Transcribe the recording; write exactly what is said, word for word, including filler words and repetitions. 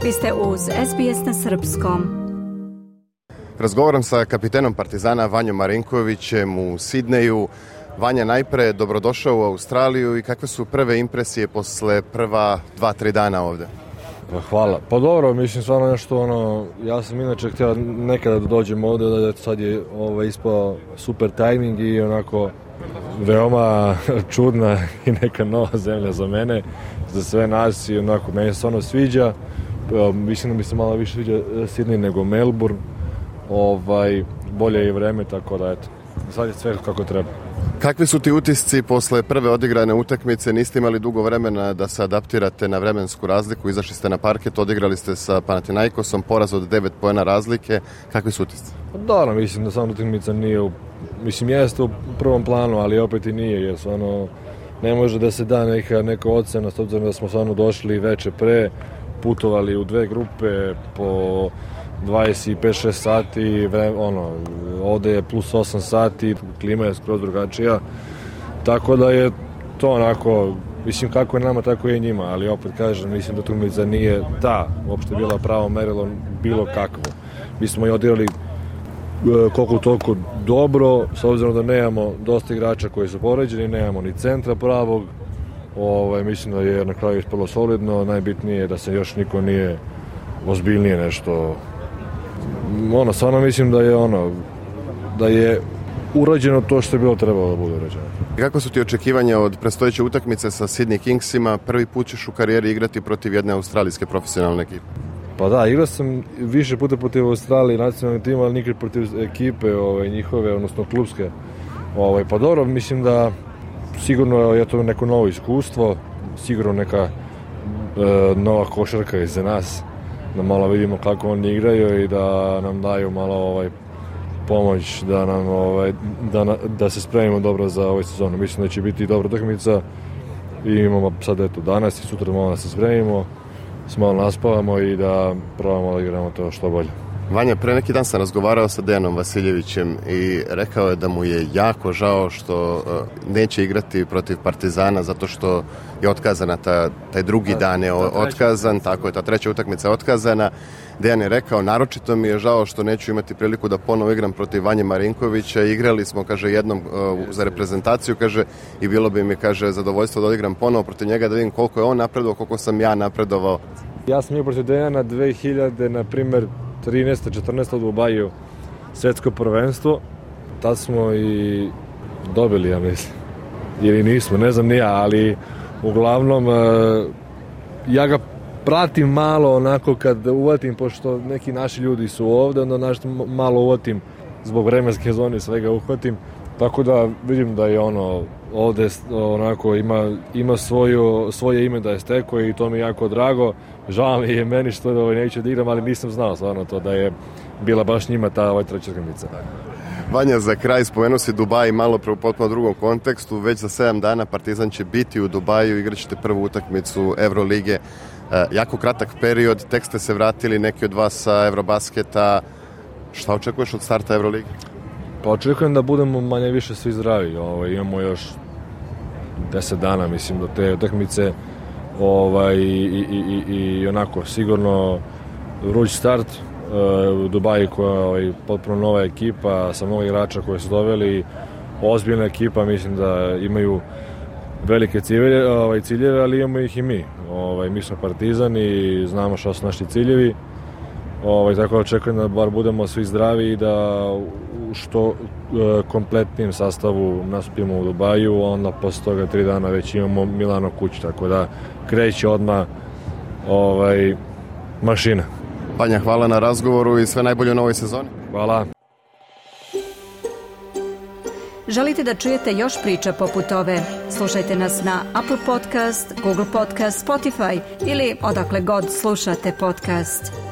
Vi ste uz S B S na srpskom. Razgovaram sa kapitenom Partizana Vanjom Marinkovićem u Sidneju. Vanja, najpre dobrodošao u Australiju i kakve su prve impresije posle prva dva, tri dana ovde? Hvala. Pa dobro, mislim stvarno nešto ono, ja sam inače htio nekada da dođem ovde, da sad je ovaj, ispao super tajming i onako veoma čudna i neka nova zemlja za mene, za sve nas i onako, meni se ono sviđa. Mislim da mi se malo više sviđa Sydney nego Melbourne. Ovaj, bolje je vreme, tako da eto, sad je sve kako treba. Kakvi su ti utisci posle prve odigrane utakmice? Niste imali dugo vremena da se adaptirate na vremensku razliku, izašli ste na parket, odigrali ste sa Panathinaikosom, poraz od devet poena razlike. Kakvi su utisci? Dobro, mislim da sama utakmica nije u, mislim jeste u prvom planu, ali opet i nije, jer stvarno ne može da se da neka, neka ocena, s obzirom da smo stvarno došli veče pre, putovali u dve grupe po dvadeset pet šest sati, ono, ovde je plus osam sati, klima je skroz drugačija, tako da je to onako, mislim kako je nama, tako je i njima, ali opet kažem, mislim da utakmica nije ta, uopšte bila pravo merilo bilo kakvo. Mi smo i odigrali koliko toliko dobro, s obzirom da nemamo dosta igrača koji su poređeni, nemamo ni centra pravog, ovaj, mislim da je na kraju ispalo solidno, najbitnije je da se još niko nije ozbiljnije nešto. Ono, stvarno mislim da je ono, da je urađeno to što je bilo trebalo da bude urađeno. Kako su ti očekivanja od predstojeće utakmice sa Sydney Kingsima? Prvi put ćeš u karijeri igrati protiv jedne australijske profesionalne ekipe. Pa da, igrao sam više puta protiv Australije nacionalnog tima, ali nikad protiv ekipe ovaj, njihove, odnosno klubske. Ovaj, pa dobro, mislim da sigurno je to neko novo iskustvo, sigurno neka e, nova košarka iza nas, da malo vidimo kako oni igraju i da nam daju malo ovaj pomoć da nam ovaj da da se spremimo dobro za ovu sezonu. Mislim da će biti dobra utakmica i imamo sad eto danas i sutra malo da se spremimo, malo naspavamo i da probamo da igramo to što bolje. Vanja, pre neki dan sam razgovarao sa Dejanom Vasiljevićem i rekao je da mu je jako žao što uh, neće igrati protiv Partizana zato što je otkazana ta, taj drugi da, dan je otkazan, tako je, ta treća utakmica je otkazana. Dejan je rekao, naročito mi je žao što neću imati priliku da ponovo igram protiv Vanje Marinkovića. Igrali smo, kaže, jednom uh, za reprezentaciju, kaže, i bilo bi mi, kaže, zadovoljstvo da odigram ponovo protiv njega, da vidim koliko je on napredovao, koliko sam ja napredovao. Ja sam igrao protiv Dejana dve hiljade, na primer, trinaeste četrnaeste u Dubaju svetsko prvenstvo. Tad smo i dobili, ja mislim. Ili nismo, ne znam ni ja, ali uglavnom ja ga pratim malo onako kad uvatim, pošto neki naši ljudi su ovde, onda nešto malo uvatim zbog vremenske zone, svega uhvatim. Tako da vidim da je ono ovde onako ima, ima svoju, svoje ime da je stekao i to mi je jako drago. Žao mi je meni što da neću da igram, ali nisam znao stvarno to da je bila baš njima ta ovaj treća utakmica. Vanja, za kraj spomenuo si Dubaj malo pre u potpuno drugom kontekstu. Već za sedam dana Partizan će biti u Dubaju, igraćete prvu utakmicu Evrolige. E, jako kratak period, tek ste se vratili, neki od vas sa Evrobasketa. Šta očekuješ od starta Evrolige? Pa očekujem da budemo manje više svi zdravi. Ovaj, imamo još deset dana, mislim, do te utakmice. Ovaj, i, i, i, i onako, sigurno vruć start uh, u Dubaju koja je ovaj, potpuno nova ekipa sa mnogo igrača koje su doveli. Ozbiljna ekipa, mislim da imaju velike ciljeve, ovaj, ciljeve, ali imamo ih i mi. Ovaj, mi smo Partizan i znamo šta su naši ciljevi. Ovaj, tako da očekujem da bar budemo svi zdravi i da u što e, kompletnijem sastavu nastupimo u Dubaju, onda posle toga tri dana već imamo Milano kući, tako da kreće odmah ovaj, mašina. Vanja, hvala na razgovoru i sve najbolje u novoj sezoni. Hvala. Želite da čujete još priča poput ove? Slušajte nas na Apple Podcast, Google Podcast, Spotify ili odakle god slušate podcast.